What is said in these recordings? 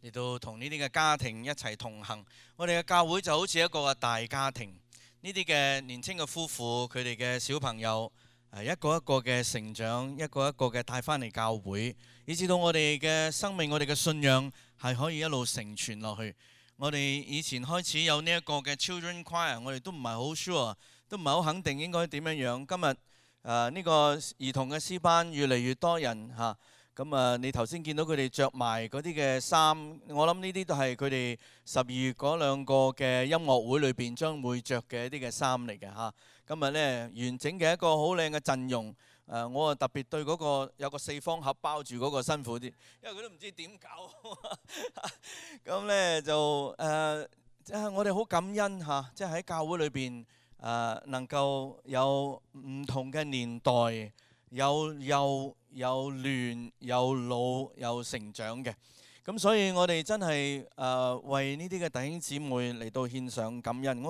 嚟到同呢啲嘅家庭一齊同行。我哋嘅教會就好似一個大家庭，呢啲嘅年輕嘅夫婦，佢哋嘅小朋友一個一個嘅成長，一個一個嘅帶翻嚟教會，以至到我哋嘅生命，我哋嘅信仰係可以一路承傳落去。我哋以前開始有呢一個嘅 Children Choir， 我哋都唔係好 sure， 都唔係好肯定應該點樣樣。今日呢個兒童嘅詩班越嚟越多人嚇，咁你頭先見到佢哋着埋嗰啲嘅衫，我諗呢啲都係佢哋12月嗰兩個嘅音樂會裏邊將會着嘅一啲嘅衫嚟嘅嚇。今日呢，完整嘅一個好靚嘅陣容。我啊特別對嗰個有個4方盒包住嗰個辛苦啲，因為佢都唔知點搞。咁呢就我哋好感恩嚇，即係喺教會裏邊能夠有唔同嘅年代，有幼有嫩有老有成長嘅。咁所以我哋真係為呢啲嘅弟兄姊妹嚟到獻上感恩。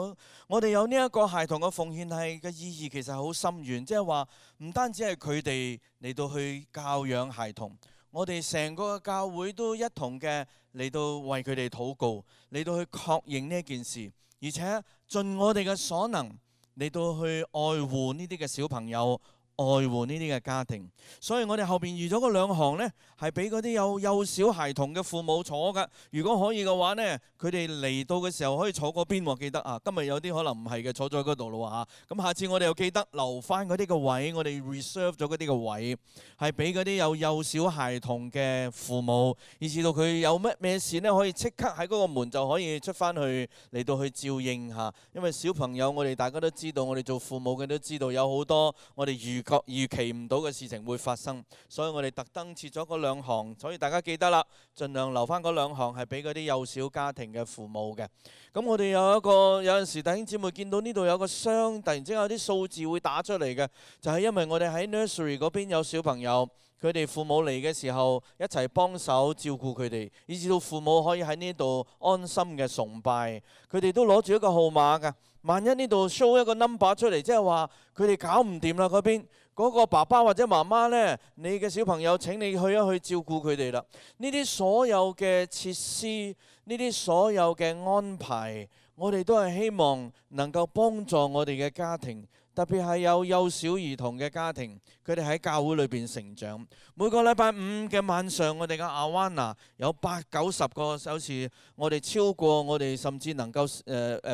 我哋有呢一個孩童嘅奉獻係嘅意義其實好深遠，即係話唔單止係佢哋嚟到去教養孩童，我哋成個教會都一同嘅嚟到為佢哋禱告，嚟到去確認呢一件事，而且盡我哋嘅所能嚟到去愛護呢啲嘅小朋友，愛護呢啲嘅家庭。所以我哋後邊預咗嗰2行呢，係俾嗰啲有幼小孩童嘅父母坐㗎。如果可以嘅話呢，佢哋嚟到嘅時候可以坐嗰邊喎。記得啊，今日有啲可能唔係嘅，坐咗喺嗰度咯嚇。咁下次我哋又記得留翻嗰啲嘅位，我哋 reserve 咗嗰啲嘅位，係俾嗰啲有幼小孩童嘅父母，以至到佢有咩事呢，可以即刻喺嗰個門就可以出翻去嚟到去照應嚇。因為小朋友我哋大家都知道，我哋做父母嘅都知道有好多我哋預期唔到嘅事情會發生，所以我哋特登設咗嗰2行，所以大家記得啦，盡量留翻嗰2行係俾嗰啲幼小家庭嘅父母嘅。咁我哋有陣時弟兄姊妹見到呢度有個箱，突然之間有啲數字會打出嚟嘅，就係因為我哋喺 nursery 嗰邊有小朋友，佢哋父母嚟嘅時候一齊幫手照顧佢哋，以至到父母可以喺呢度安心嘅崇拜。佢哋都攞住一個號碼㗎，萬一呢度 show 一個 number 出嚟，即係話佢哋搞唔掂啦嗰邊。嗰個爸爸或者媽媽呢，你嘅小朋友請你去一去照顧佢哋啦。呢啲所有嘅設施，呢啲所有嘅安排，我哋都係希望能夠幫助我哋嘅家庭，特別係有幼小兒童嘅家庭，佢哋喺教會裏邊成長。每個禮拜5嘅晚上，我哋嘅阿灣拿有80-90個，有時我哋超過，我哋甚至能夠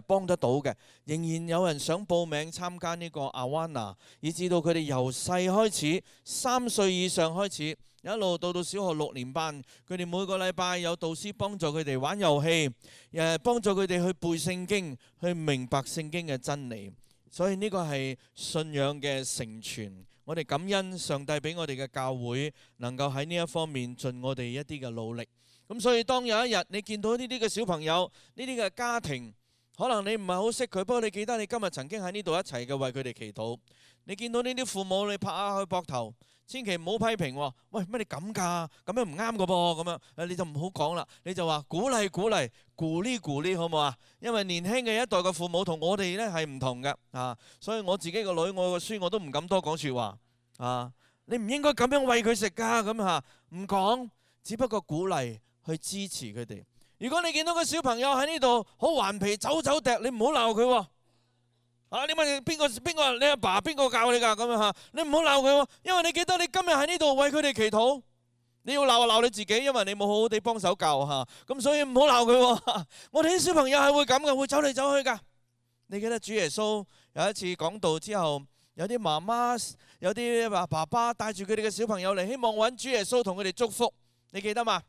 幫得到嘅，仍然有人想報名參加呢個阿灣拿，以至到佢哋由細開始，3歲以上開始，一路到小學6年班，佢哋每個禮拜有導師幫助佢哋玩遊戲，幫助佢哋去背聖經，去明白聖經嘅真理。所以呢個係信仰嘅成傳，我哋感恩上帝俾我哋嘅教會能夠喺呢一方面盡我哋一啲嘅努力。咁所以當有一日你見到呢啲嘅小朋友，呢啲嘅家庭，可能你唔係好識佢，不過你記得你今日曾經喺呢度一齊嘅為佢哋祈禱。你見到呢啲父母，你拍下佢膊頭，千祈唔好批評喎。喂，乜你咁㗎？咁樣唔啱㗎噃，咁樣你就唔好講啦。你就話鼓勵鼓勵，鼓勵好唔好啊？因為年輕嘅一代嘅父母同我哋呢係唔同嘅啊，所以我自己個女，我個孫我都唔敢多講説話啊。你唔應該咁樣餵佢食㗎，咁嚇唔講，只不過鼓勵去支持佢哋。如果你見到個小朋友喺呢度好頑皮走走趯，你唔好鬧佢喎。你問邊個？你阿爸邊個教你㗎？咁樣嚇，你唔好鬧佢喎，因為你記得你今日喺呢度為佢哋祈禱，你要鬧就鬧你自己，因為你冇好好地幫手教嚇，咁所以唔好鬧佢喎。我哋啲小朋友係會咁嘅，會走嚟走去㗎。你記得主耶穌有一次講道之後，有啲媽媽、有啲爸爸帶住佢哋嘅小朋友嚟，希望揾主耶穌同佢哋祝福，你記得嘛？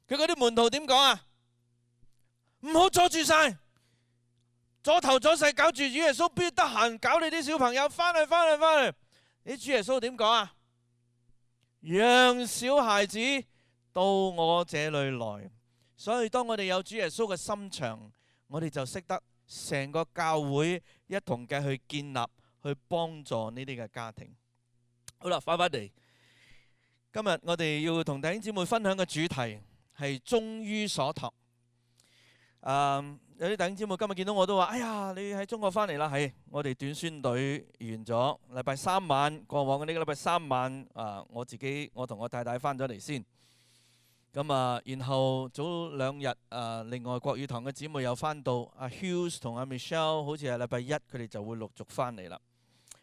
佢嗰啲門徒點講啊？唔好阻住晒。左頭左勢搞住，主耶穌邊得閒搞你啲小朋友？翻嚟！你主耶穌點講啊？讓小孩子到我這裏來。所以當我哋有主耶穌嘅心腸，我哋就識得成個教會一同嘅去建立、去幫助呢啲嘅家庭。好啦，翻嚟，今日我哋要同弟兄姊妹分享嘅主題係忠於所託。有啲弟兄姊妹今日見到我都話：哎呀，你喺中國翻嚟啦？係，我哋短宣隊完咗，禮拜3晚，過往嘅呢個禮拜3晚，我同我太太翻咗嚟先。咁然後早2日另外國語堂嘅姊妹又翻到，阿 Hughes 同阿 Michelle 好似係禮拜一，佢哋就會陸續翻嚟啦。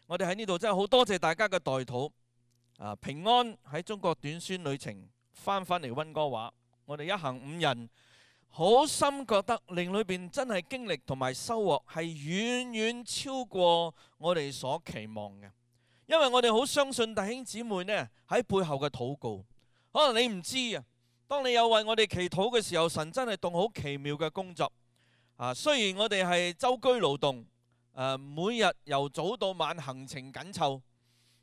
我哋喺呢度真係好多謝大家嘅代禱，平安喺中國短宣旅程翻嚟溫哥華，我哋一行5人好深覺得靈裏邊真係經歷同埋收穫係遠遠超過我哋所期望嘅，因為我哋好相信弟兄姊妹呢喺背後嘅禱告。可能你唔知啊，當你有為我哋祈禱嘅時候，神真係動好奇妙嘅工作。雖然我哋係舟車勞頓，每日由早到晚行程緊湊，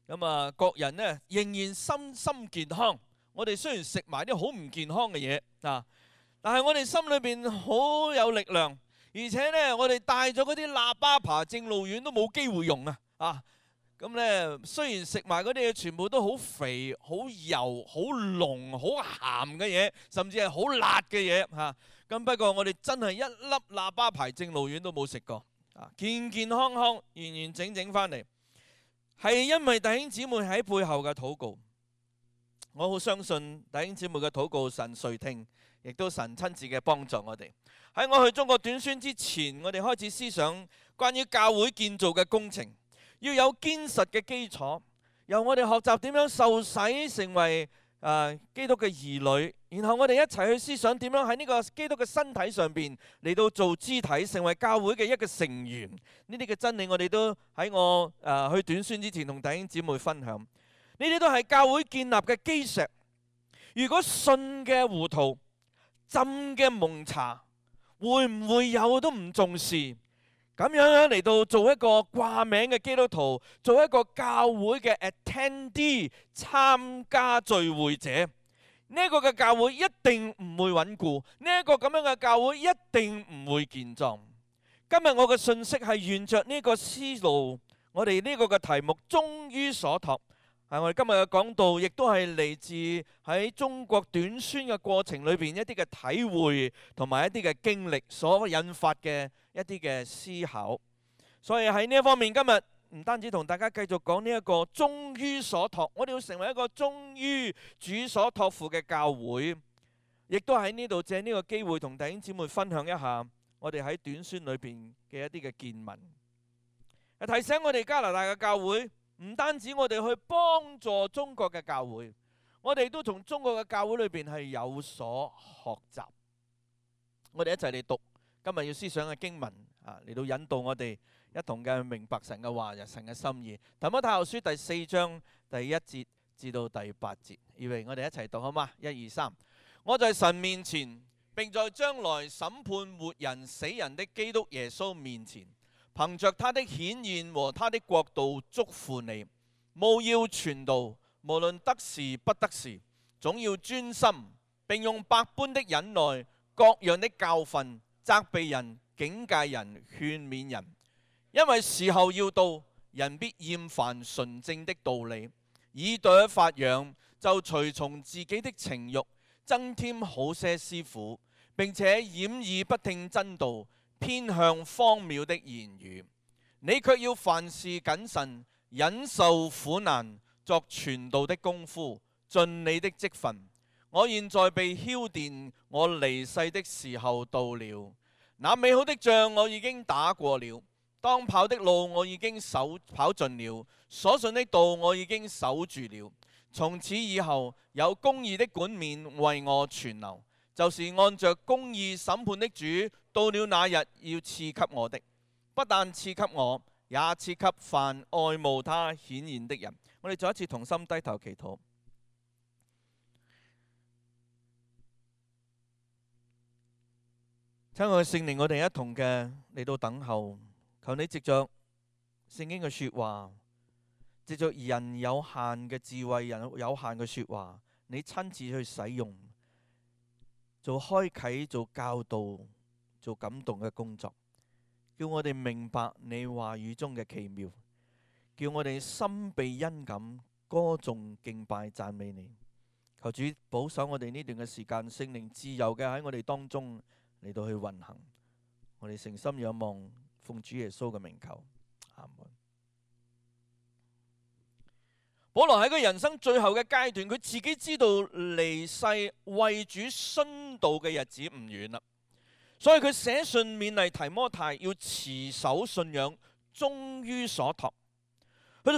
咁各人呢仍然身心健康。我哋雖然食埋啲好唔健康嘅嘢但係我哋心裏邊好有力量，而且呢，我哋帶咗嗰啲喇叭爬正路遠都冇機會用咁呢，雖然食埋嗰啲嘢全部都好肥、好油、好濃、好鹹嘅嘢，甚至係好辣嘅嘢咁不過我哋真係一粒喇叭牌正路丸都冇食過，健健康康、完完整整翻嚟，係因為弟兄姊妹喺背後嘅禱告。我好相信弟兄姊妹嘅禱告神垂聽，亦都神親自嘅幫助我哋。喺我去中國短宣之前，我哋開始思想關於教會建造嘅工程，要有堅實嘅基礎，由我哋學習點樣受洗成為基督嘅兒女，然後我哋一齊去思想點樣喺呢個基督嘅身體上邊嚟到做肢體，成為教會嘅一個成員。呢啲嘅真理我哋都喺我去短宣之前同弟兄姊妹分享。呢啲都係教會建立嘅基石。如果信嘅糊塗、浸嘅蒙查，會唔會有都唔重視？咁樣嚟到做一個掛名嘅基督徒，做一個教會嘅 attendee 參加聚會者，呢一個嘅教會一定唔會穩固，呢一個咁樣嘅教會一定唔會健壯。今日我嘅信息係沿着呢個思路，我哋呢個嘅題目終於所託。我哋今日嘅講道亦都係嚟自喺中國短宣嘅過程裏邊一啲嘅體會同埋一啲嘅經歷所引發嘅一啲嘅思考。所以喺呢一方面，今日唔單止同大家繼續講呢一個終於所託，我哋要成為一個終於主所託付嘅教會，亦都喺呢度借呢個機會同弟兄姊妹分享一下我哋喺短宣裏邊嘅一啲嘅見聞，提醒我哋加拿大嘅教會。唔單止我哋去幫助中國嘅教會，我哋都從中國嘅教會裏邊係有所學習。我哋一齊嚟讀今日要思想嘅經文嚟到引導我哋一同嘅明白神嘅話、神嘅心意。提摩太後書第4章第1節至到第8節，以為我哋一齊讀好嗎？1、2、3。我在神面前，並在將來審判活人死人的基督耶穌面前，憑着他的顯現和他的國度囑咐你，務要傳道，無論得時不得時，總要專心，並用百般的忍耐、各樣的教訓，責備人、警戒人、勸勉人。因為時候要到，人必厭煩純正的道理，耳朵發癢，就隨從自己的情慾，增添好些師傅，並且掩耳不聽真道，偏向荒謬的言語。你卻要凡事謹慎，忍受苦難，作傳道的功夫，盡你的職分。我現在被澆奠，我離世的時候到了。那美好的仗我已經打過了，當跑的路我已經跑盡了，所信的道我已經守住了。從此以後，有公義的冠冕為我存留，就是按着公義審判的主，到了那日要賜給我的。不但賜給我，也賜給凡愛慕他顯現的人。我哋再一次同心低頭祈禱。親愛嘅聖靈，我哋一同嘅嚟到等候，求你藉着聖經嘅說話，藉着人有限嘅智慧、人有限嘅說話，你親自去使用，做開啟、做教導、做感動嘅工作，叫我哋明白你話語中嘅奇妙，叫我哋心被恩感，歌頌敬拜讚美你。求主保守我哋呢段嘅時間，聖靈自由嘅喺我哋當中嚟到去運行。我哋誠心仰望，奉主耶穌嘅名求，阿門。保羅喺佢人生最後嘅階段，佢自己知道離世為主殉道嘅日子唔遠啦，所以佢寫信勉勵提摩太要持守信仰，忠於所託。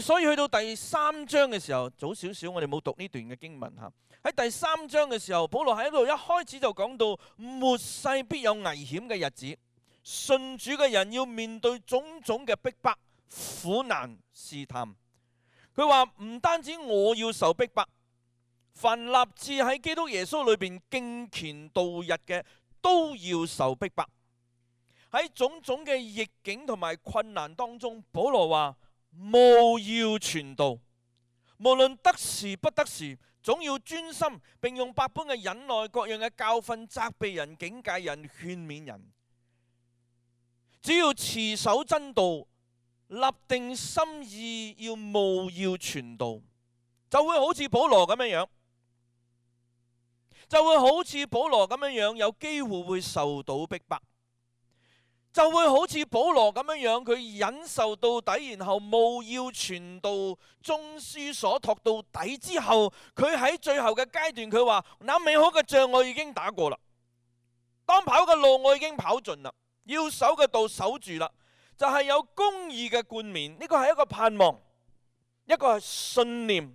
所以去到第3章嘅時候，早少少我哋冇讀呢段嘅經文嚇。喺第3章嘅時候，保羅喺度一開始就講到末世必有危險嘅日子，信主嘅人要面對種種嘅逼迫、苦難、試探。佢話唔單止我要受逼迫，凡立志喺基督耶穌裏邊敬虔度日嘅都要受逼迫。喺種種嘅逆境同埋困難當中，保羅話務要傳道，無論得時不得時，總要專心，並用百般嘅忍耐、各樣嘅教訓責備人、警戒人、勸勉人。只要持守真道，立定心意要務要傳道，就會好似保羅咁樣，有機會會受到逼迫，就會好似保羅咁樣，佢忍受到底，然後務要傳道，忠於所託到底之後，佢喺最後嘅階段，佢話那美好嘅仗我已經打過啦，當跑嘅路我已經跑盡啦，要守嘅道守住啦。就係有公義嘅冠冕，呢個係一個盼望，一個係信念。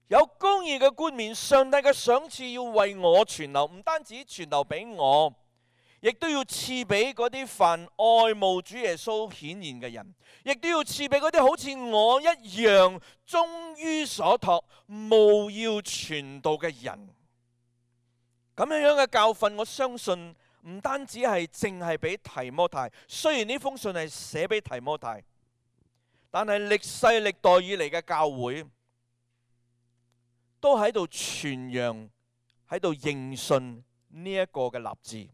有公義嘅冠冕，上帝嘅賞賜要為我存留，唔單止存留俾我，亦都要賜俾嗰啲凡愛慕主耶穌顯現嘅人，亦都要賜俾嗰啲好似我一樣忠於所託、務要傳道嘅人。咁樣嘅教訓，我相信唔單止係淨係俾提摩太，雖然呢封信係寫俾提摩太，但係歷世歷代以嚟嘅教會都喺度傳揚、喺度認信呢一個嘅立志，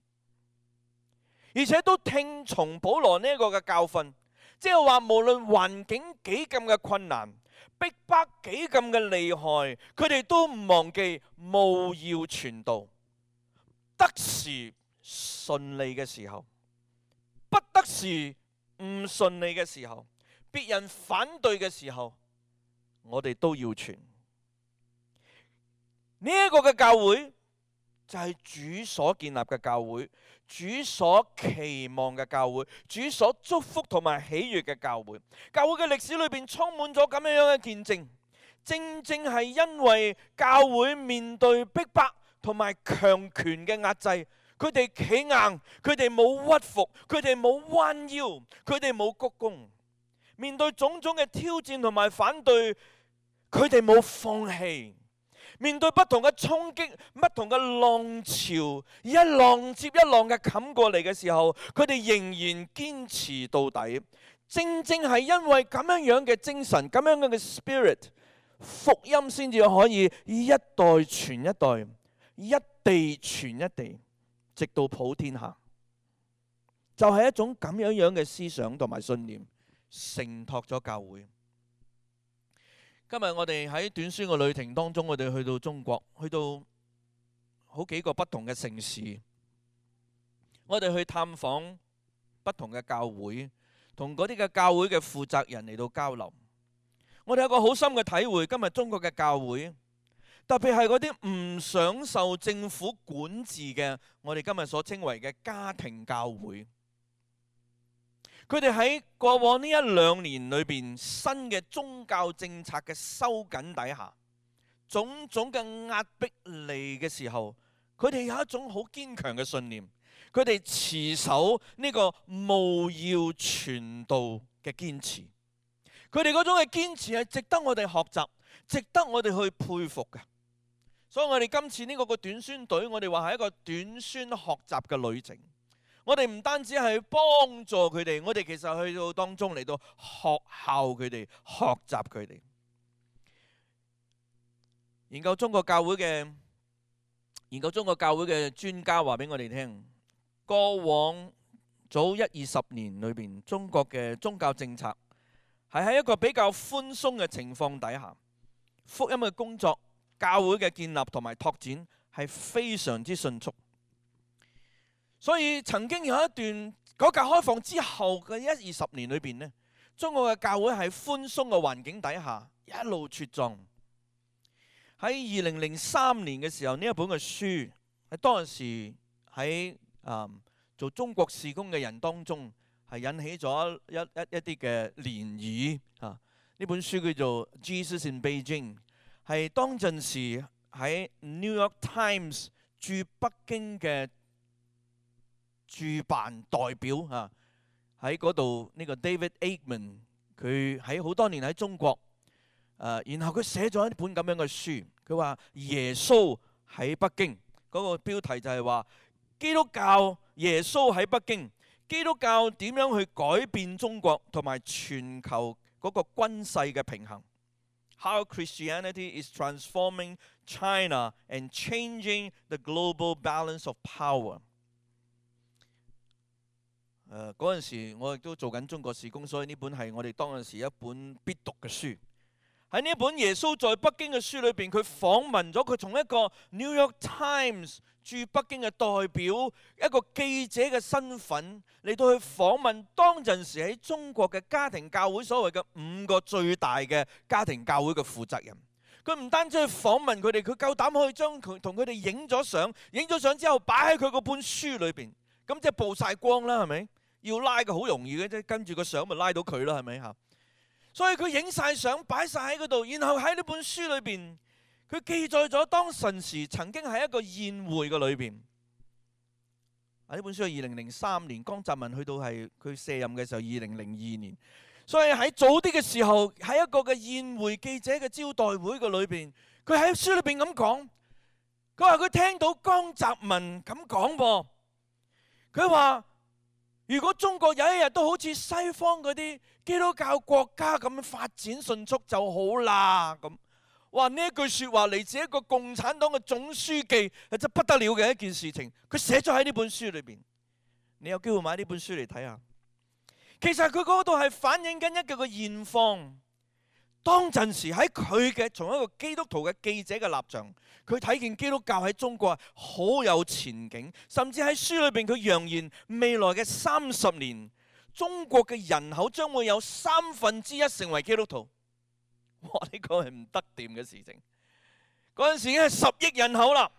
而且都聽從保羅呢一個嘅教訓，即係話無論環境幾咁嘅困難、逼迫幾咁嘅厲害，佢哋都唔忘記務要傳道，得時順利嘅時候，不得時唔順利嘅時候，別人反對嘅時候，我哋都要傳。呢一個嘅教會就係主所建立嘅教會，主所期望嘅教會，主所祝福同埋喜悅嘅教會。教會嘅歷史裏邊充滿咗咁樣嘅見證，正正係因為教會面對逼迫同埋強權嘅壓制，佢哋企硬，佢哋冇屈服，佢哋冇彎腰，佢哋冇鞠躬。面對種種嘅挑戰同埋反對，佢哋冇放棄。面對不同嘅衝擊、不同嘅浪潮，一浪接一浪嘅冚過嚟嘅時候，佢哋仍然堅持到底。正正係因為咁樣嘅精神、咁樣嘅 spirit， 福音先至可以一代傳一代，一地傳一地，直到普天下。就係一種咁樣嘅思想同埋信念，承托咗教會。今日我哋喺短宣嘅旅程當中，我哋去到中國，去到好幾個不同嘅城市，我哋去探訪不同嘅教會，同嗰啲嘅教會嘅負責人嚟到交流。我哋有個好深嘅體會，今日中國嘅教會，特別係嗰啲唔想受政府管治嘅，我哋今日所稱為嘅家庭教會。佢哋喺過往呢1-2年裏邊，新嘅宗教政策嘅收緊底下，種種嘅壓迫嚟嘅時候，佢哋有一種好堅強嘅信念，佢哋持守呢個務要傳道嘅堅持。佢哋嗰種嘅堅持係值得我哋學習，值得我哋去佩服嘅。所以我哋今次呢個短宣隊，我哋話係一個短宣學習嘅旅程。我哋唔單止係幫助佢哋，我哋其實去到當中嚟到學效佢哋，學習佢哋。研究中國教會嘅專家話俾我哋聽，過往早10-20年裏邊，中國嘅宗教政策係喺一個比較寬鬆嘅情況底下，福音嘅工作、教會嘅建立同埋拓展係非常之迅速。所以曾經有一段改革開放之後嘅10-20年裏邊呢，中國嘅教會喺寬鬆嘅環境底下一路茁壯。喺2003年嘅時候，呢一本嘅書喺當時喺做中國事工嘅人當中係引起咗一啲嘅漣漪啊！呢本書叫做《Jesus in Beijing》，係當陣時喺 New York Times 駐北京嘅駐辦代表啊，喺嗰度呢個 David Eggman， 佢喺好多年喺中國，然後佢寫咗一本咁樣嘅書，佢話耶穌喺北京，嗰個標題就係話基督教耶穌喺北京，基督教點樣去改變中國同埋全球嗰個軍勢嘅平衡。How Christianity is transforming China and changing the global balance of power。嗰陣時我亦都做緊中國事工，所以呢本係我哋當陣時一本必讀嘅書。喺呢本耶穌在北京嘅書裏邊，佢訪問咗佢從一個 New York Times 駐北京嘅代表，一個記者嘅身份嚟到去訪問當陣時喺中國嘅家庭教會所謂嘅5個最大嘅家庭教會嘅負責人。佢唔單止去訪問佢哋，佢夠膽可以將佢同佢哋影咗相，影咗相之後擺喺佢嗰本書裏邊，咁即係曝晒光啦，係咪？要拉嘅好容易嘅啫，跟住個相咪拉到佢啦，係咪嚇？所以佢影晒相擺晒喺嗰度，然後喺呢本書裏邊，佢記載咗當陣時曾經喺一個宴會嘅裏邊。呢本書係2003年，江澤民去到係佢卸任嘅時候2002年，所以喺早啲嘅時候喺一個嘅宴會記者嘅招待會嘅裏邊，佢喺書裏邊咁講，佢話佢聽到江澤民咁講噃，佢話如果中國有一日都好似西方嗰啲基督教國家咁發展迅速就好啦咁。哇！呢一句説話嚟自一個共產黨嘅總書記，係真不得了嘅一件事情。佢寫咗喺呢本書裏邊，你有機會買呢本書嚟睇下。其實佢嗰度係反映緊一個嘅現況。當陣時喺佢嘅從一個基督徒嘅記者嘅立場，佢睇見基督教喺中國好有前景，甚至喺書裏邊佢揚言未來嘅30年，中國嘅人口將會有1/3成為基督徒。哇！呢個係唔得掂嘅事情。嗰陣時已經係10億人口啦。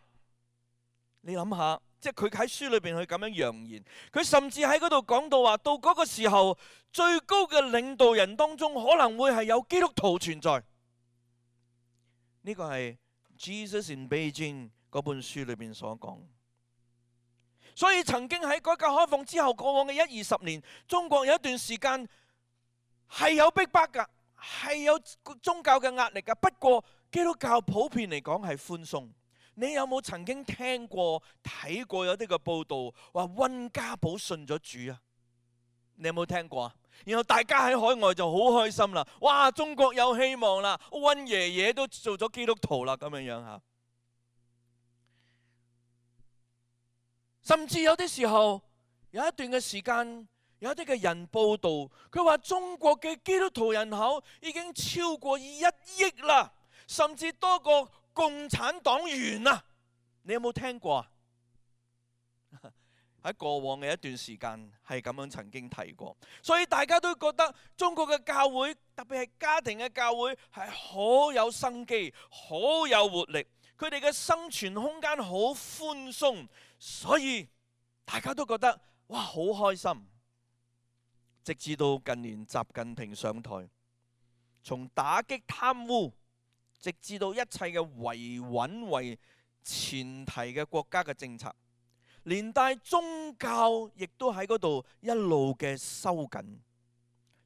你諗下，即係佢喺書裏邊去咁樣揚言，佢甚至喺嗰度講到話，到嗰個時候最高嘅領導人當中可能會係有基督徒存在。呢個係 Jesus in Beijing 嗰本書裏邊所講。所以曾經喺改革開放之後過往嘅10-20年，中國有一段時間係有逼迫㗎，係有宗教嘅壓力㗎。不過基督教普遍嚟講係寬鬆。你有冇曾經聽過睇過有啲嘅報道話溫家寶信咗主啊？你有冇聽過啊？然後大家喺海外就好開心啦，哇！中國有希望啦，溫爺爺都做咗基督徒啦，咁樣樣嚇。甚至有啲時候有一段嘅時間，有啲嘅人報道，佢話中國嘅基督徒人口已經超過1億啦，甚至多過共產黨員啊！你有冇聽過啊？喺過往嘅一段時間係咁樣曾經提過，所以大家都覺得中國嘅教會，特別係家庭嘅教會係好有生機、好有活力，佢哋嘅生存空間好寬鬆，所以大家都覺得哇好開心。直至到近年習近平上台，從打擊貪污，直至到一切嘅維穩為前提嘅國家嘅政策，連帶宗教亦都喺嗰度一路嘅收緊。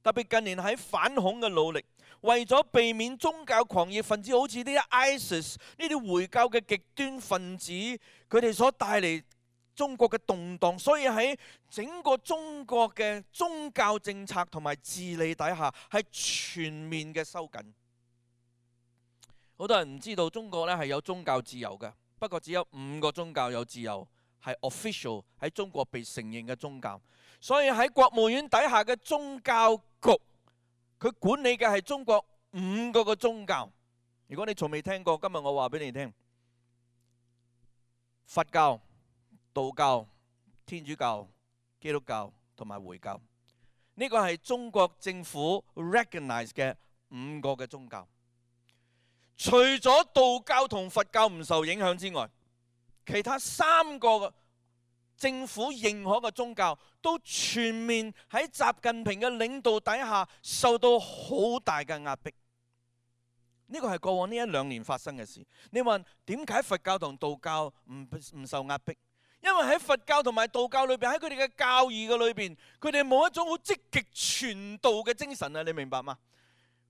特別近年喺反恐嘅努力，為咗避免宗教狂熱分子好似啲 ISIS 呢啲回教嘅極端分子，佢哋所帶嚟中國嘅動盪，所以喺整個中國嘅宗教政策同埋治理底下係全面嘅收緊。好多人唔知道中國咧係有宗教自由嘅，不過只有5個宗教有自由，係 official 喺中國被承認嘅宗教。所以喺國務院底下嘅宗教局，佢管理嘅係中國5個嘅宗教。如果你從未聽過，今日我話俾你聽，佛教、道教、天主教、基督教同埋回教，呢個係中國政府 recognize 嘅5個嘅宗教。除咗道教同佛教唔受影響之外，其他3個政府認可嘅宗教都全面喺習近平嘅領導底下受到好大嘅壓迫。呢個係過往呢1-2年發生嘅事。你問點解佛教同道教唔受壓迫？因為喺佛教同埋道教裏邊，喺佢哋嘅教義嘅裏邊，佢哋冇一種好積極傳道嘅精神啊！你明白嗎？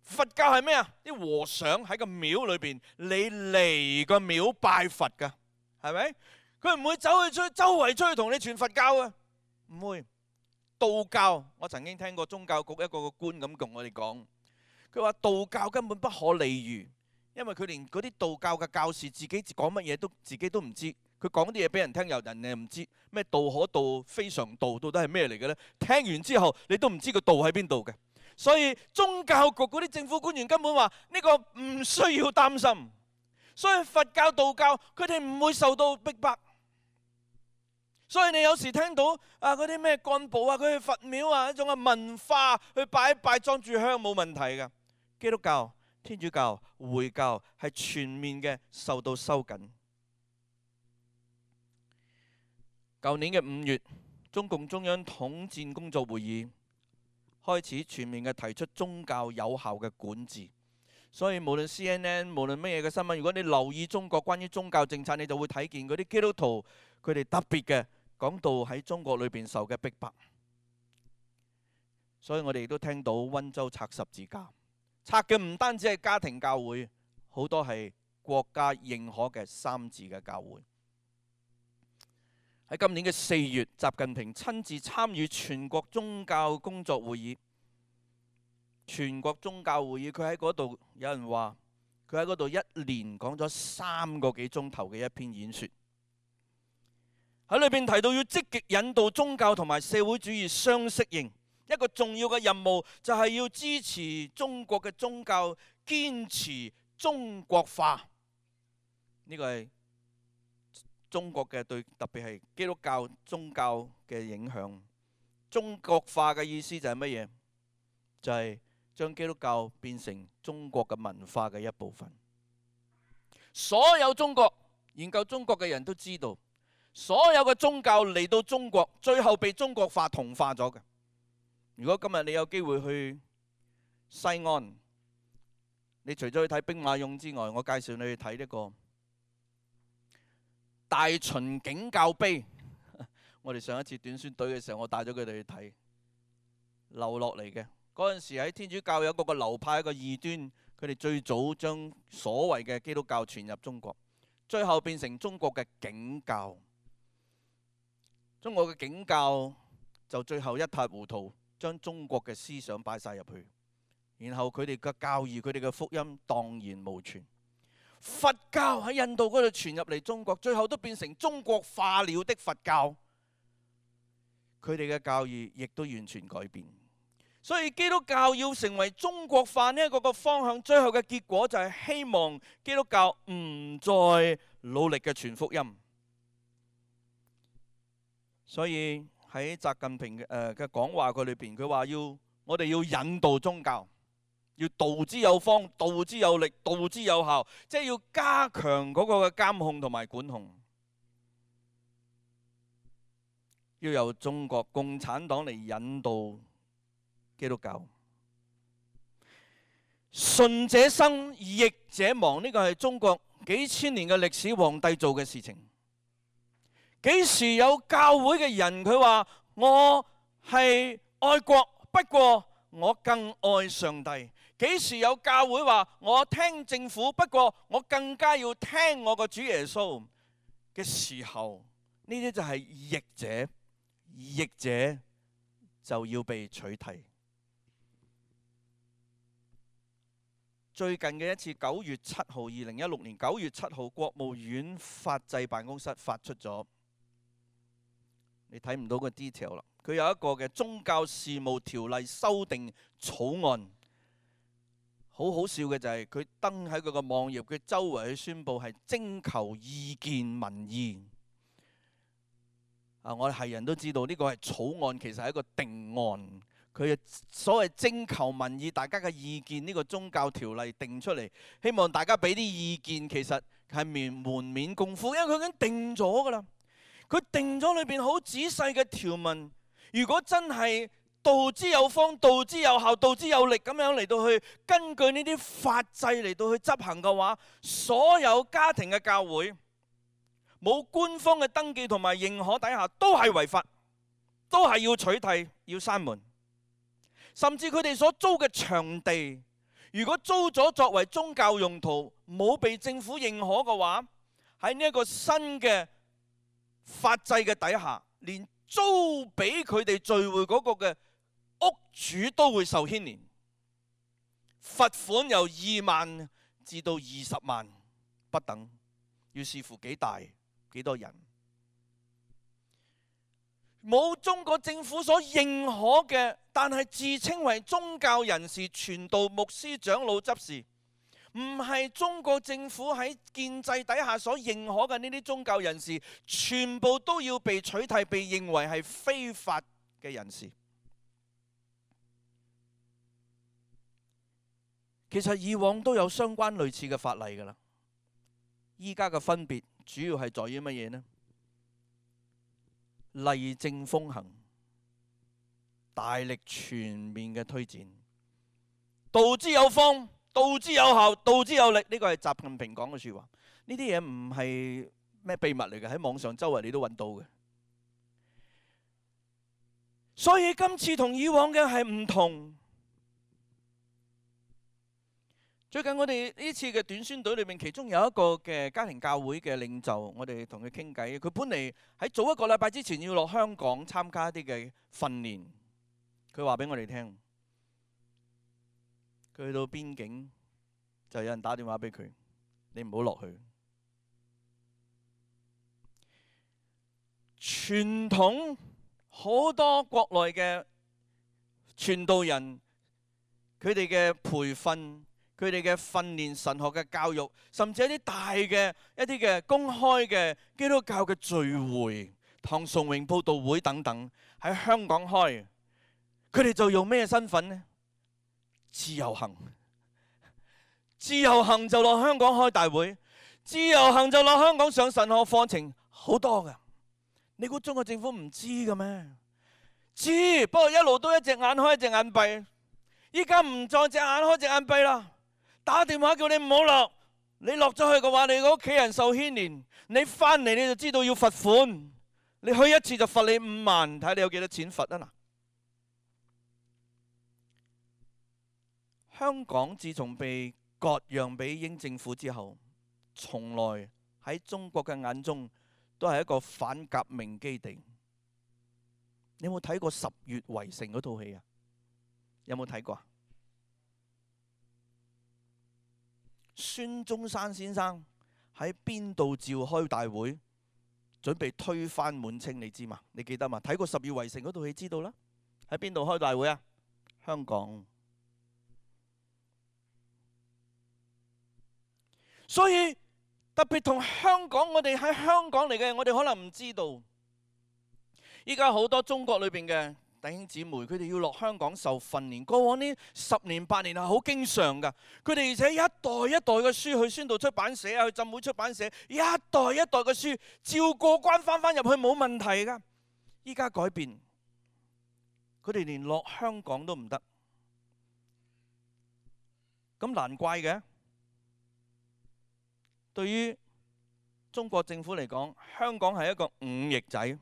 佛教係咩啊？啲和尚喺個廟裏邊，你嚟個廟拜佛㗎，係咪？佢唔會走去周圍出去同你傳佛教啊，唔會。道教，我曾經聽過宗教局一個官咁同我哋講，佢話道教根本不可理喻，因為佢連嗰啲道教嘅教士自己講乜嘢自己都唔知。佢講啲嘢俾人聽，人哋唔知咩道可道非常道，到底係咩嚟嘅呢？聽完之後，你都唔知個道喺邊度嘅。所以宗教局嗰啲政府官員根本話呢個唔需要擔心。所以佛教、道教佢哋唔會受到逼迫。所以你有時聽到嗰啲咩幹部佢去佛廟一種嘅文化去拜一拜裝住香冇問題嘅。基督教、天主教、回教係全面嘅受到收緊。舊年嘅5月，中共中央統戰工作會議開始全面嘅提出宗教有效嘅管治。所以無論 CNN 無論乜嘢嘅新聞，如果你留意中國關於宗教政策，你就會睇見嗰啲基督徒佢哋特別嘅講到喺中國裏邊受嘅逼迫。所以我哋亦都聽到溫州拆十字架，拆嘅唔單止係家庭教會，好多係國家認可嘅3自嘅教會。喺今年嘅4月，習近平親自參與全國宗教工作會議。全國宗教會議，佢喺嗰度，有人話佢喺嗰度一連講咗3個幾鐘頭嘅一篇演說。喺裏邊提到要積極引導宗教同埋社會主義相適應，一個重要嘅任務就係要支持中國嘅宗教堅持中國化。呢個係中國嘅對特別係基督教宗教嘅影響。中國化嘅意思就係乜嘢？就係將基督教變成中國嘅文化嘅一部分。所有中國研究中國嘅人都知道，所有嘅宗教嚟到中國，最後被中國化同化咗嘅。如果今日你有機會去西安，你除咗去睇兵馬俑之外，我介紹你去睇呢個大秦景教碑。我哋上一次短宣隊嘅時候，我帶咗佢哋去睇，留落嚟嘅。嗰陣時喺天主教有一個流派，一個異端，佢哋最早將所謂嘅基督教傳入中國，最後變成中國嘅景教。中國嘅景教就最後一塌糊塗，將中國嘅思想擺晒入去，然後佢哋嘅教義、佢哋嘅福音蕩然無存。佛教喺印度嗰度傳入嚟中國，最後都變成中國化了的佛教，佢哋嘅教義亦都完全改變。所以基督教要成為中國化呢一個方向，最後嘅結果就係希望基督教唔再努力嘅傳福音。所以喺習近平嘅講話佢裏邊，佢話我哋要引導宗教，要導之有方、導之有力、導之有效，即係要加強嗰個嘅監控同埋管控，要由中國共產黨嚟引導基督教。順者生，逆者亡，呢個係中國幾千年嘅歷史皇帝做嘅事情。幾時有教會嘅人佢話我係愛國，不過我更愛上帝？幾時有教會話我聽政府，不過我更加要聽我個主耶穌嘅時候，呢啲就係逆者，逆者就要被取締。最近嘅一次9月7號，2016年9月7號，國務院法制辦公室發出咗，你睇唔到個 detail 啦。佢有一個嘅宗教事務條例修訂草案，好好笑嘅就係佢登喺佢個網頁，佢周圍去宣佈係徵求意見民意。我哋係人都知道呢個係草案，其實係一個定案。佢嘅所謂徵求民意，大家嘅意見，呢個宗教條例定出嚟，希望大家俾啲意見，其實係門面功夫，因為佢已經定咗㗎啦。佢定咗裏邊好仔細嘅條文，如果真係道之有方、道之有效、道之有力咁樣嚟到去根據呢啲法制嚟到去執行嘅話，所有家庭嘅教會冇官方嘅登記同埋認可底下都係違法，都係要取締、要閂門。甚至佢哋所租嘅場地，如果租咗作為宗教用途，冇被政府認可嘅話，喺呢一個新嘅法制嘅底下，連租俾佢哋聚會嗰個嘅屋主都會受牽連，罰款由2萬至到20萬不等，要視乎幾大幾多人。冇中國政府所認可嘅，但係自稱為宗教人士、傳道、牧師、長老、執事，唔係中國政府喺建制底下所認可嘅呢啲宗教人士，全部都要被取締，被認為係非法嘅人士。其實以往都有相關類似嘅法例㗎啦，依家嘅分別主要係在於乜嘢呢？例證風行，大力全面嘅推展，道之有方，道之有效，道之有力，呢個係習近平講嘅説話。呢啲嘢唔係咩秘密嚟嘅，喺網上周圍你都揾到嘅。所以今次同以往嘅係唔同。最近我哋呢次嘅短宣隊裏面，其中有一個嘅家庭教會嘅領袖，我哋同佢傾偈。佢本嚟喺早一個禮拜之前要落香港參加一啲嘅訓練。佢話俾我哋聽，佢去到邊境就有人打電話俾佢，你唔好落去。傳統好多國內嘅傳道人，佢哋嘅培訓，佢哋嘅訓練、神學嘅教育，甚至一啲大嘅一啲嘅公開嘅基督教嘅聚會、唐崇榮佈道會等等，喺香港開，佢哋就用咩身份呢？自由行，自由行就落香港開大會，自由行就落香港上神學課程，好多㗎。你估中國政府唔知嘅咩？知，不過一路都一隻眼開一隻眼閉，依家唔再隻眼開隻眼閉啦。打電話叫你唔好落，你落咗去嘅話，你個屋企人受牽連，你翻嚟你就知道要罰款，你去一次就罰你5萬，睇你有幾多錢罰啊嗱。香港自從被割讓俾英政府之後，從來喺中國嘅眼中都係一個反革命基地。你有冇睇過《10月圍城》嗰套戲啊？有冇睇過啊？孫中山先生喺邊度召開大會，準備推翻滿清，你知嘛？你記得嘛？睇過《10月圍城》嗰套戲知道啦。喺邊度開大會啊？香港。所以特別同香港，我哋喺香港嚟嘅，我哋可能唔知道。依家好多中國裏邊嘅弟兄姊妹，佢哋要落香港受訓練。過往呢10年8年係好經常㗎。佢哋而且一代一代嘅書去宣道出版社啊，去浸會出版社，一代一代嘅書照過關翻入去冇問題㗎。依家改變，佢哋連落香港都唔得，咁難怪嘅。對於中國政府嚟講，香港係一個忤逆仔。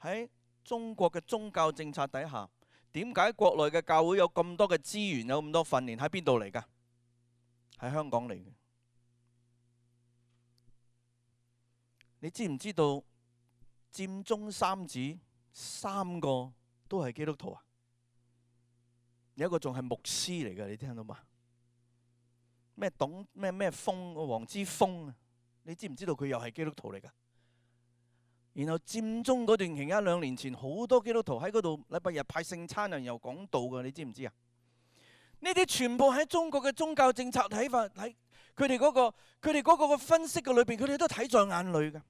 喺中國嘅宗教政策底下，點解國內嘅教會有咁多嘅資源，有咁多訓練，喺邊度嚟㗎？喺香港嚟嘅。你知唔知道佔中三子3個都係基督徒啊？有一個仲係牧師嚟嘅，你聽到嘛？咩董咩峰，黃之鋒啊？你知唔知道佢又係基督徒嚟㗎？然後佔中嗰段期間，2年前好多基督徒喺嗰度禮拜日派聖餐啊，又講道㗎，你知唔知啊？呢啲全部喺中國嘅宗教政策睇法，喺佢哋嗰個分析嘅裏邊，佢哋都睇在眼裏嘅。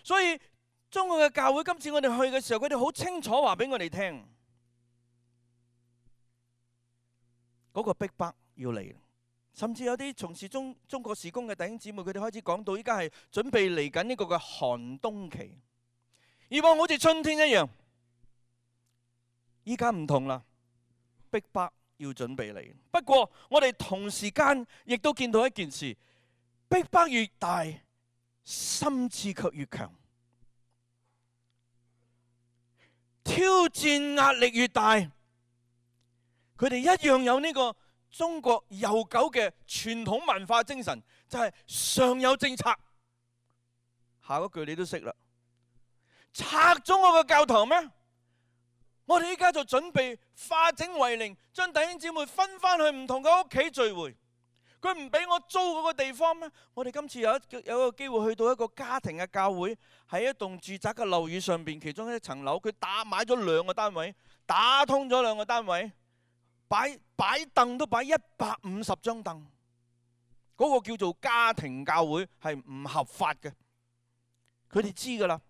所以中國嘅教會今次我哋去嘅時候，佢哋好清楚話俾我哋聽，嗰個逼迫要嚟。甚至有啲從事中國事工嘅弟兄姊妹，佢哋開始講到依家係準備嚟緊呢個嘅寒冬期。以往好似春天一樣，依家唔同啦，逼迫要準備嚟。不過我哋同時間亦都見到一件事，逼迫越大，心志卻越強。挑戰壓力越大，佢哋一樣有呢個中國悠久嘅傳統文化精神，就係上有政策。下一句你都識啦，拆咗我個教堂咩？我哋依家就準備化整為零，將弟兄姊妹分翻去唔同嘅屋企聚會。佢唔俾我租嗰個地方咩？我哋今次有一個機會去到一個家庭嘅教會，喺一棟住宅嘅樓宇上邊，其中一層樓佢買咗2個單位，打通咗2個單位，擺凳都擺150張凳。嗰個叫做家庭教會係唔合法嘅，佢哋知㗎啦。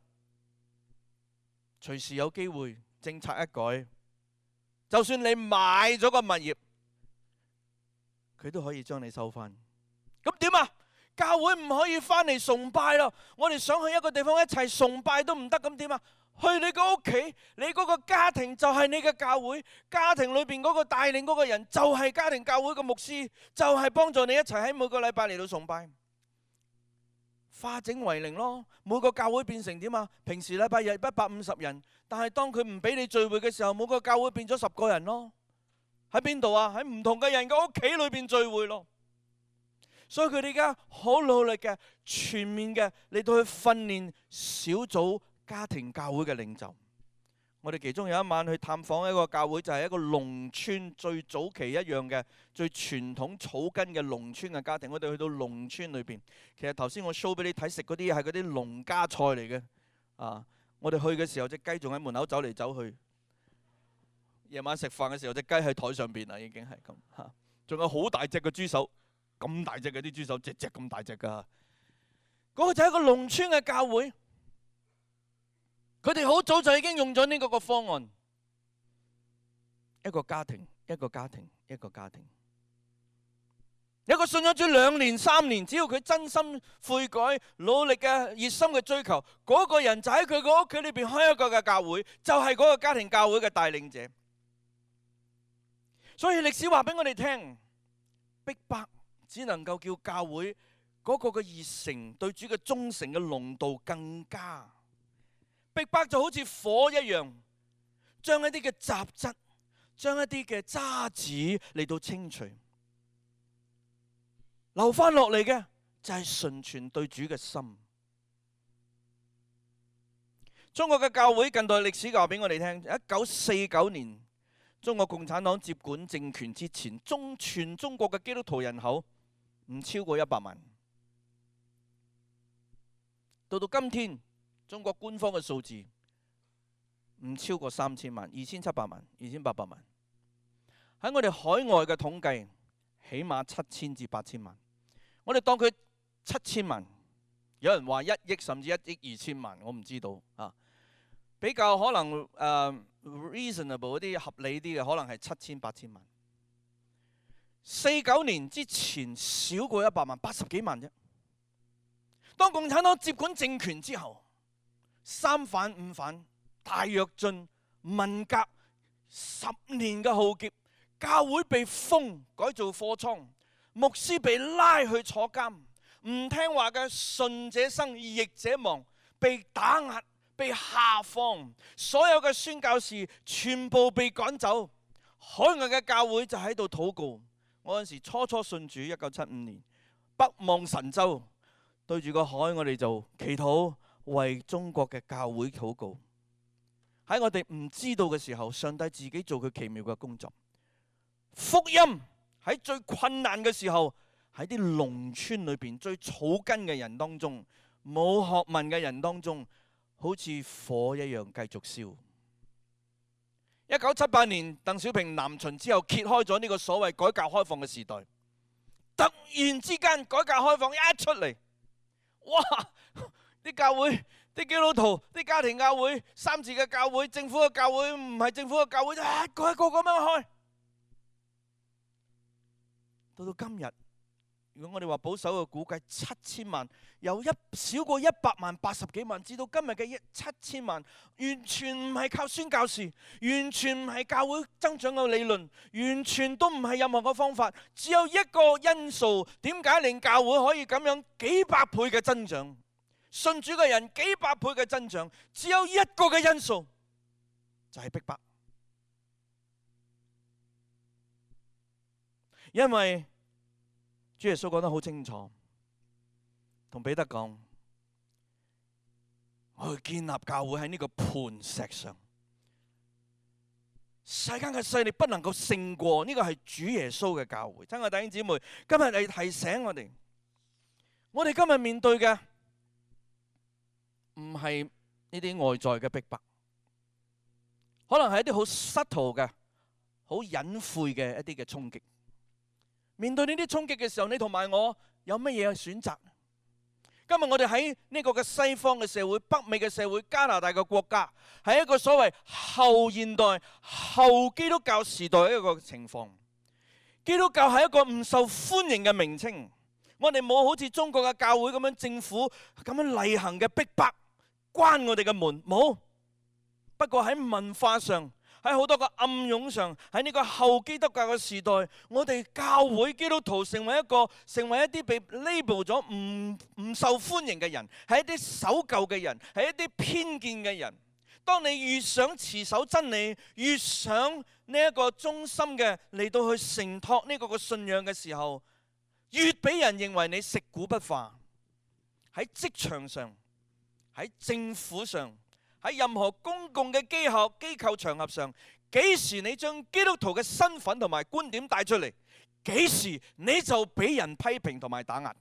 隨時有機會政策一改，就算你買咗個物業，佢都可以將你收翻。咁點啊？教會唔可以翻嚟崇拜咯。我哋想去一個地方一齊崇拜都唔得，咁點啊？去你個屋企，你嗰個家庭就係你嘅教會，家庭裏邊嗰個帶領嗰個人就係家庭教會嘅牧師，就係幫助你一齊喺每個禮拜嚟到崇拜。化整為零咯，每個教會變成點啊？平時禮拜日150人，但係當佢唔俾你聚會嘅時候，每個教會變咗10個人咯。喺邊度啊？喺唔同嘅人嘅屋企裏邊聚會咯。所以佢哋而家好努力嘅、全面嘅嚟到去訓練小組家庭教會嘅領袖。我哋其中有一晚去探訪一個教會，就係一個農村最早期一樣嘅、最傳統草根嘅農村嘅家庭。我哋去到農村裏邊，其實頭先我 show 俾你睇食嗰啲係嗰啲農家菜嚟嘅。我哋去嘅時候，隻雞仲喺門口走嚟走去。夜晚食飯嘅時候，隻雞喺台上邊啦，已經係咁嚇。仲有好大隻嘅豬手，咁大隻嘅啲豬手，隻隻咁大隻㗎。嗰個就係一個農村嘅教會。佢哋好早就已經用咗呢個方案，一個家庭，一個家庭，一個家庭。有個信咗主2年3年，只要佢真心悔改、努力嘅熱心嘅追求，嗰個人就喺佢個屋企裏邊開一個嘅教會，就係嗰個家庭教會嘅帶領者。所以歷史話俾我哋聽，逼迫只能夠叫教會嗰個嘅熱誠、對主嘅忠誠嘅濃度更加。逼迫就好似火一樣，將一啲嘅雜質、將一啲嘅渣子嚟到清除，留翻落嚟嘅就係純全對主嘅心。中國嘅教會近代歷史話俾我哋聽，1949年中國共產黨接管政權之前，全中國嘅基督徒人口唔超過100萬。到今天，中國官方嘅數字唔超過3000萬，2700萬、2800萬。喺我哋海外嘅統計，起碼7000至8000萬。我哋當佢7000萬，有人話1億甚至1億2000萬，我唔知道啊。比較可能reasonable 嗰啲合理啲嘅，可能係7000、8000萬。49年之前少過100萬，80幾萬啫。當共產黨接管政權之後，3反5反、大躍進、文革10年嘅浩劫，教會被封改造貨倉，牧師被拉去坐監，唔聽話嘅順者生逆者亡，被打壓、被下放，所有嘅宣教士全部被趕走，海外嘅教會就喺度禱告。我嗰陣時初信主，1975年北望神州，對住個海，我哋就祈禱，為中國嘅教會禱告。喺我哋唔知道嘅時候，上帝自己做佢奇妙嘅工作。福音喺最困難嘅時候，喺啲農村裏邊最草根嘅人當中，冇學問嘅人當中，好似火一樣繼續燒。1978年鄧小平南巡之後，揭開咗呢個所謂改革開放嘅時代。突然之間，改革開放一出嚟，哇！啲教會啲基督徒、啲家庭教會、三自嘅教會、政府嘅教會、唔係政府嘅教會，一個一個咁樣開。到今日，如果我哋話保守嘅估計，7000萬由少過100萬、80幾萬，至到今日嘅7000萬，完全唔係靠宣教士，完全唔係教會增長嘅理論，完全都唔係任何嘅方法，只有一個因素，點解令教會可以咁樣幾百倍嘅增長？信主嘅人幾百倍嘅增長，只有一個嘅因素，就係逼迫。因為主耶穌講得好清楚，同彼得講，我要建立教會喺呢個磐石上，世間嘅勢力不能夠勝過，呢個係主耶穌嘅教會。親愛弟兄姊妹，今日嚟提醒我哋今日面對嘅唔係呢啲外在嘅逼迫，可能係一啲好subtle嘅、好隱晦嘅一啲嘅衝擊。面對呢啲衝擊嘅時候，你同埋我有乜嘢選擇？今日我哋喺呢個嘅西方嘅社會、北美嘅社會、加拿大嘅國家，係一個所謂後現代、後基督教時代嘅一個情況。基督教係一個唔受歡迎嘅名稱。我哋冇好似中國嘅教會咁樣，政府咁樣例行嘅逼迫，關我哋嘅門，冇。不過喺文化上，喺好多個暗湧上，喺呢個後基督教嘅時代，我哋教會基督徒成為一啲被 label 咗唔受歡迎嘅人，係一啲守舊嘅人，係一啲偏見嘅人。當你越想持守真理，越想呢一個忠心嘅嚟到去承托呢個嘅信仰嘅時候，越俾人認為你食古不化。喺職場上，喺政府上，喺任何公共嘅機構場合上，幾時你將基督徒嘅身份同埋觀點帶出嚟，幾時你就俾人批評同埋打壓。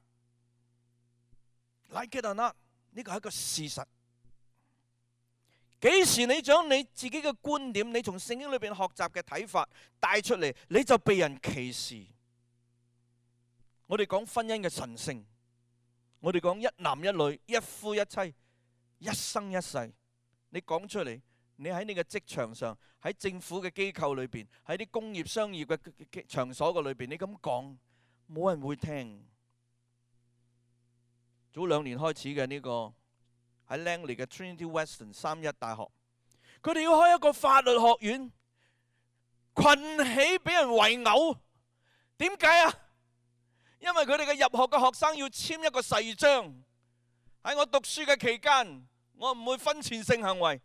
Like it or not， 呢個係一個事實。幾時你將你自己嘅觀點，你從聖經裏邊學習嘅睇法帶出嚟，你就被人歧視。我哋講婚姻嘅神聖，我哋講一男一女、一夫一妻、一生一世。你講出嚟，你喺你嘅職場上，喺政府嘅機構裏邊，喺啲工業商業嘅場所嘅裏邊，你咁講，冇人會聽。早2年開始嘅呢個喺 Langley 嘅 Trinity Western 3一大學，佢哋要開一個法律學院，群起俾人圍毆。點解啊？因為佢哋嘅入學嘅學生要簽一個誓章，喺我讀書嘅期間，我唔會婚前性行為，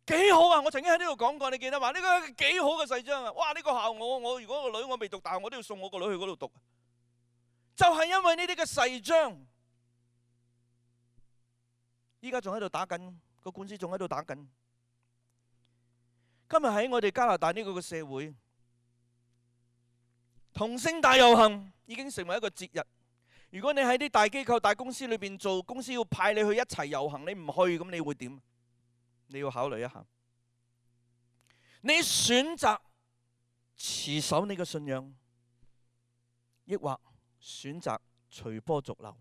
幾好啊！我曾經喺呢度講過，你記得嘛？呢個幾好嘅誓章啊！哇！呢個校我如果個女我未讀大學，我都要送我個女去嗰度讀。就係因為呢啲嘅誓章，依家仲喺度打緊，個官司仲喺度打緊。今日喺我哋加拿大呢個嘅社會，同性大遊行已經成為一個節日。如果你喺啲大機構、大公司裏邊做，公司要派你去一齊遊行，你唔去，咁你會點？你要考慮一下。你選擇持守你嘅信仰，抑或選擇隨波逐流？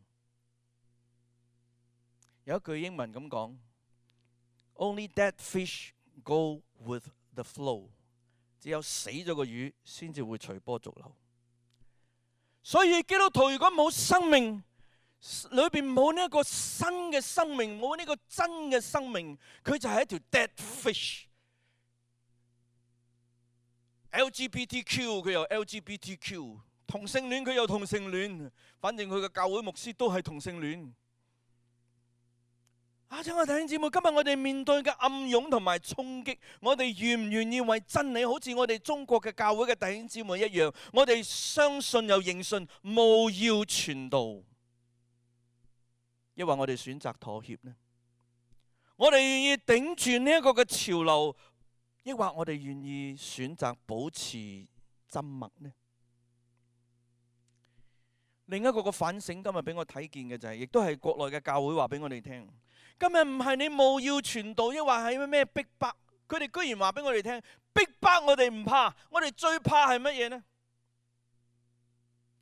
有一句英文咁講 ：Only dead fish go with the flow。只有死咗個魚先至會隨波逐流。所以基督徒如果冇生命，裏邊冇呢一個新嘅生命，冇呢個真嘅生命，佢就係一條 dead fish。LGBTQ 佢又 LGBTQ， 同性戀佢又同性戀，反正佢嘅教會牧師都係同性戀。親愛弟兄姊妹，今日我哋面對嘅暗湧同埋衝擊，我哋願唔願意為真理，好似我哋中國嘅教會嘅弟兄姊妹一樣，我哋相信又認信，務要傳道，抑或我哋選擇妥協呢？我哋願意頂住呢一個嘅潮流，抑或我哋願意選擇保持沉默呢？另一個嘅反省，今日俾我睇見嘅就係，亦都係國內嘅教會話俾我哋聽。今日唔係你務要傳道，抑或係咩逼迫，佢哋居然話俾我哋聽，逼迫我哋唔怕，我哋最怕係乜嘢呢？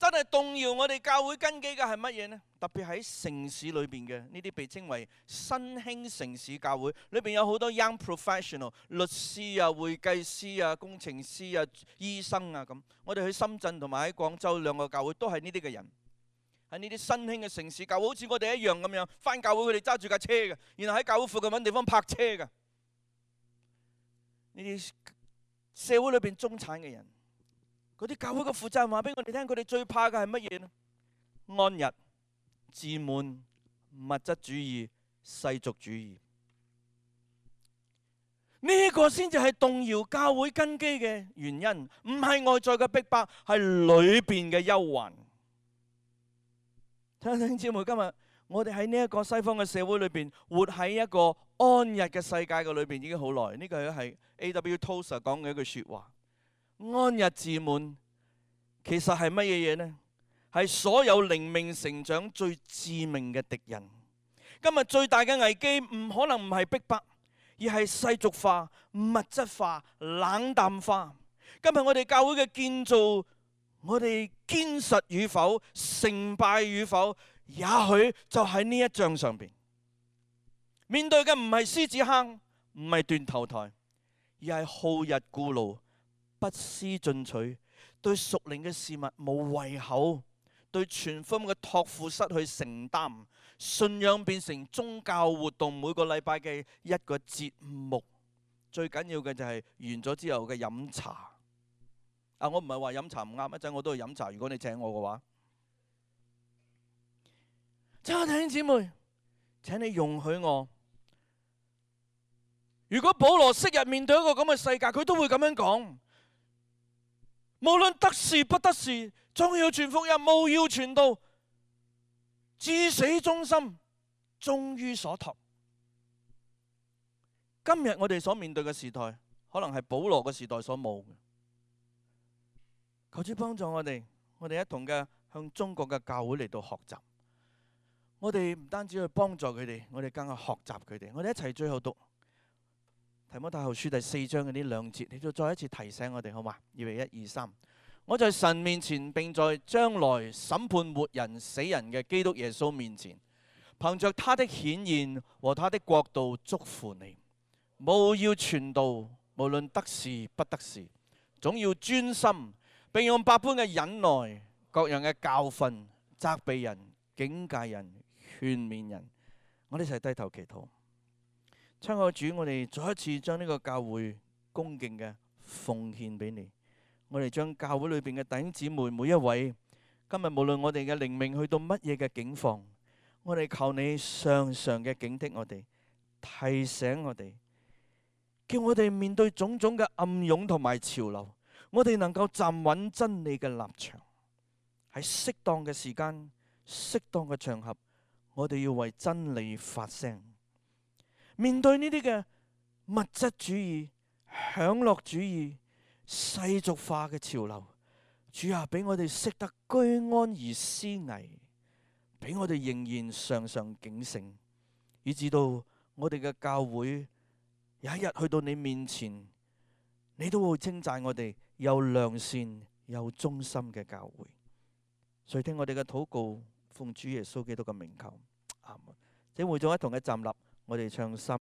真係動搖我哋教會根基嘅係乜嘢呢？特別喺城市裏邊嘅呢啲被稱為新興城市教會，裏邊有好多 young professional， 律師啊、會計師啊、工程師啊、醫生啊咁。我哋去深圳同埋喺廣州兩個教會都係呢啲嘅人，喺呢啲新興嘅城市教會，好似我哋一樣咁樣，返教會佢哋揸住架車嘅，然後喺教會附近揾地方泊車嘅。呢啲社會裏邊中產嘅人。嗰啲教會嘅負責人話俾我哋聽，佢哋最怕嘅係乜嘢呢？安逸、自滿、物質主義、世俗主義，呢個先至係動搖教會根基嘅原因，唔係外在嘅逼迫，係裏邊嘅憂患。弟兄姊妹，今日我哋喺呢一個西方嘅社會裏邊，活喺一個安逸嘅世界嘅裏邊已經好耐。呢個係 A.W. Tozer 講嘅一句説話。安逸自滿其實係乜嘢嘢呢？係所有靈命成長最致命嘅敵人。今日最大嘅危機唔可能唔係逼迫，而係世俗化、物質化、冷淡化。今日我哋教會嘅建造，我哋堅實與否、成敗與否，也許就喺呢一章上邊。面對嘅唔係獅子坑，唔係斷頭台，而係好逸惡勞、不思進取，對屬靈嘅事物冇胃口，對全福音嘅託付失去承擔，信仰變成宗教活動，每個禮拜嘅一個節目。最緊要嘅就係完咗之後嘅飲茶。我唔係話飲茶唔啱，一陣我都去飲茶。如果你請我嘅話，親愛弟兄姊妹，請你容許我。如果保羅昔日面對一個咁嘅世界，佢都會咁樣講。無論得時不得時，總要傳福音，務要傳道，至死忠心，忠於所託。今日我哋所面對嘅時代，可能係保羅嘅時代所冇嘅。求主幫助我哋一同嘅向中國嘅教會嚟到學習。我哋唔單止去幫助佢哋，我哋更加學習佢哋。我哋一齊最後讀提摩太後書第4章嘅呢2節，你就再一次提醒我哋，好嘛？預備1、2、3。我在神面前，並在將來審判活人死人嘅基督耶穌面前，憑着他的顯現和他的國度祝福你。務要傳道，無論得時不得時，總要專心，並用百般嘅忍耐、各樣嘅教訓、責備人、警戒人、勸勉人。我哋一齊低頭祈禱。親愛的主，我哋再一次將呢個教會恭敬嘅奉獻俾你。我哋將教會裏邊嘅弟兄姊妹每一位，今日無論我哋嘅靈命去到乜嘢嘅境況，我哋求你常常嘅警惕我哋，提醒我哋，叫我哋面對種種嘅暗湧同埋潮流，我哋能夠站穩真理嘅立場，喺適當嘅時間、適當嘅場合，我哋要為真理發聲。面對呢啲嘅物質主義、享樂主義、世俗化嘅潮流，主啊，俾我哋識得居安而思危，俾我哋仍然常常警醒，以至到我哋嘅教會有一日去到你面前，你都會稱讚我哋有良善、有忠心嘅教會。垂聽我哋嘅禱告，奉主耶穌基督嘅名求，阿門。請會眾一同嘅站立，我哋唱詩。